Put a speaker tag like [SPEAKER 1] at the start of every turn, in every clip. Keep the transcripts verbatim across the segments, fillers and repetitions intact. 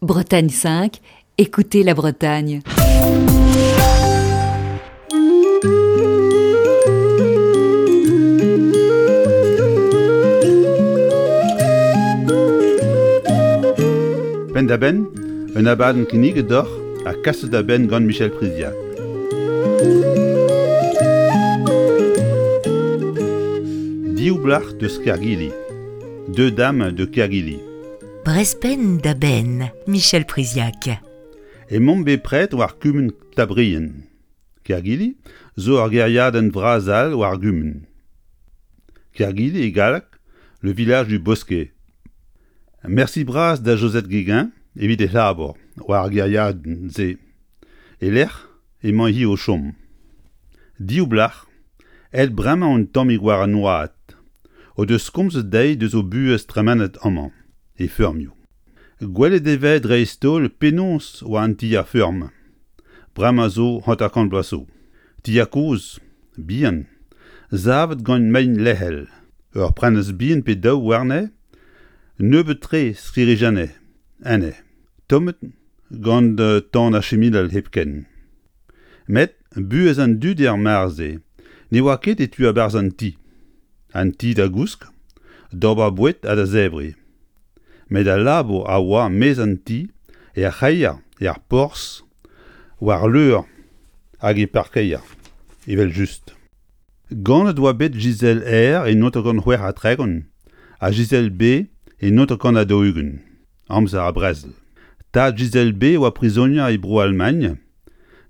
[SPEAKER 1] Bretagne cinq, écoutez la Bretagne.
[SPEAKER 2] Penn-da-benn, un abadenn kinniget deoc'h ha kaset da benn gant Michel Priziac. Div blac'h deus Kergili, Deux dames de Kergili.
[SPEAKER 3] Brezh da benn, Michel Priziac.
[SPEAKER 2] Emaomp bepred war kumun Tabrien. Kergili zo ur gêriadenn vras all war gumun. Kergili e galleg, le village du Bosquet. Mersi bras da Josette Guéguin evit e labour war ar gêriadenn-se. E-lec'h emañ-hi o chom. Div blac'h, aet bremañ un tammig war an oad, o deus komzet dezhi deus o buhez tremenet amañ, e feurmioù. Gwelet e vez dreist-holl penaos oa an tier feurm. Bremañ zo hanter-kant bloaz zo. Tier kozh, bihan, savet gant mein lec'hel, ur prenestr bihan pe daou warne, nebeut-tre sklêrijennet enne, tommet gant tan ar chiminal hepken. Met buhez an dud er mare-se ne oa ket e tu a-barzh an ti. An ti da gousk, d'ober boued ha da zebriñ. Met al labour a oa maez an ti, er c'hreier, er porzh, war leur hag e parkeier, evel-just. Ganet oa bet Gisèle R e naontek c'hwec'h ha tregont ha Gisèle B e naontek ha daou-ugent, amzer ar brezel. Tad Gisèle B oa prizonier e Bro-Almagn,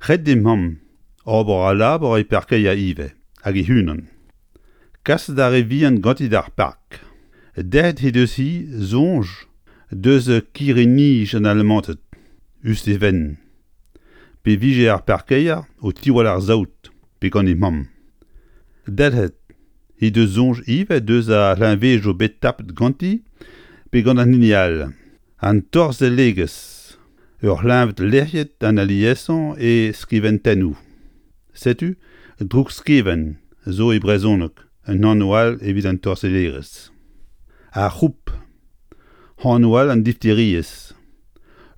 [SPEAKER 2] ret d'he mamm ober al labour e parkeier ivez, hag e-unan. Kaset ar re vihan ganti d'ar park. Derc'het he deus-hi soñj deus kirri-nij an Alamanted, us d'he fenn. Pe vije ar parkeier o tiwall ar saout, pe gant he mamm. Dalc'het he deus soñj ivez deus ar c'hleñvedoù bet tapet ganti pe gant an hini all. An torzhellegezh, ur c'hleñved lec'hiet an aliesañ e skiventennoù. Setu droukskevent zo e brezhoneg un anv all evit an torzhellerezh. Ar c'hroup, anv all an difteriezh.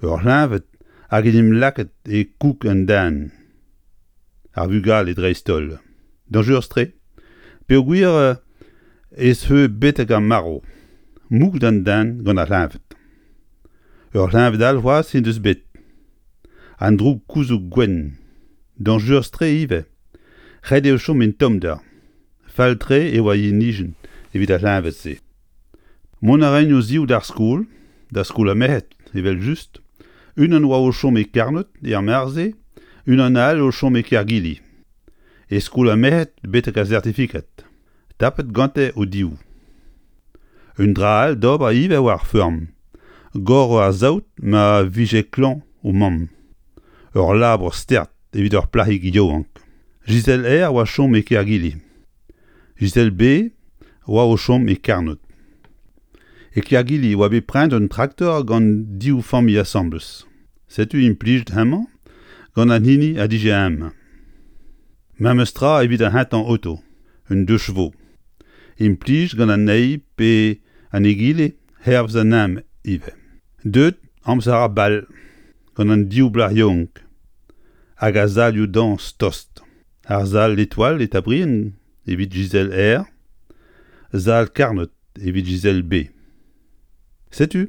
[SPEAKER 2] Ur c'hleñved hag en em lakaet e koug an den. Ar vugale dreist-holl. Dañjerus-tre, peogwir ez eo betek ar marv, mouget an den gant ar c'hleñved. Ur c'hleñved all c'hoazh he deus bet. An droug gouzoug gwenn. Dañjerus-tre ivez. Ret eo chom en tommder. Fall-tre e oa yenijenn evit ar c'hleñved-se. Mont a raent o-ziv d'ar skol, da skol ar merc'hed, evel-just. Unan oa o chom e Karnod er mare-se, unan all o chom e Kergili. E skol ar merc'hed betek ar sertifikad. Tapet gante o-div. Un dra all d'ober ivez war ar feurm. Goro ar saout ma vije klañv o mamm. Ur labour start evit ur plac'hig yaouank. Gisèle R oa chom e Kergili. Gisèle B oa o chom e Karnod. E Kergili oa bet prenet un traktor gant div familh asambles. Setu implijet hemañ gant an hini a dije eñ. Memes tra evit ar c'hentañ oto, un deux chevaux. Implij gant an eil pe an egile hervez an ezhomm ivez. Deuet amzer ar bal gant an div blac'h yaouank hag ar salioù dañs tost. Ar sal L'Étoile e Tabrien evit Gisèle R, sal Karnod evit Gisèle B. Setu,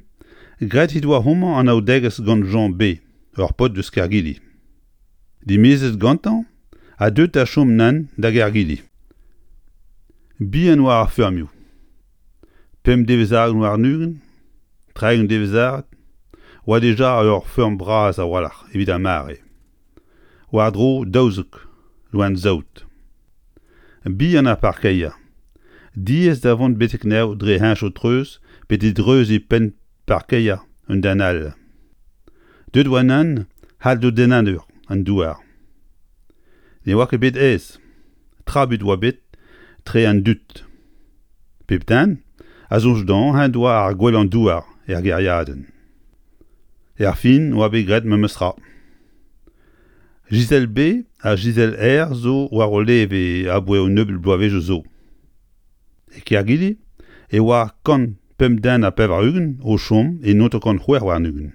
[SPEAKER 2] graet he doa homañ anaoudegezh gant Jean B, ur paotr deus Kergili. Dimezet gantañ ha deuet da chom nann da Gergili. Bihan oa ar feurmioù. Pemp devezh warn-ugent, tregont devezh oa dija ur feurm bras a-walc'h evit ar mare. War-dro daouzek loen saout. Bihan ar parkeier. Diaes da vont betek anezho dre heñchoù-treuz pe didreuziñ penn parkeier un den all. Deuet oa nann c'halldodennadur an douar. Ne oa ket bet aes. Trabut oa bet tre an dud. Pep den a soñj dezhañ en doa ar gwellañ douar er gêriadenn. Er fin oa bet graet memes tra. Gisèle B ha Gisèle R zo war o leve aboae un nebeud bloavezhioù zo. E Kergili e oa kant pemp den ha pevar-ugent o chom e naontek c'hwec'h warn-ugent.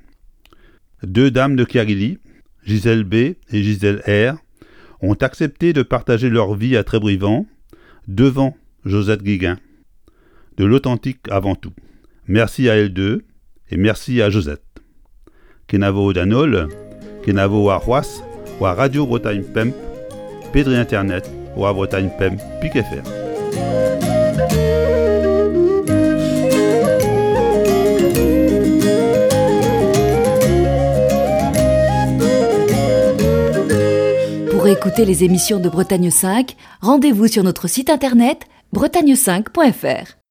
[SPEAKER 2] Deux dames de Kerguili, Gisèle B et Gisèle R, ont accepté de partager leur vie à Trébrivan devant Josette Guiguin. De l'authentique avant tout. Merci à elles deux et merci à Josette. Kenavo d'an holl, kenavo ar c'hoazh, war Radio Bretagne Pemp, pe dre internet, war Bretagne Pemp pik F R.
[SPEAKER 1] Pour écouter les émissions de Bretagne cinq, rendez-vous sur notre site internet bretagne cinq point F R.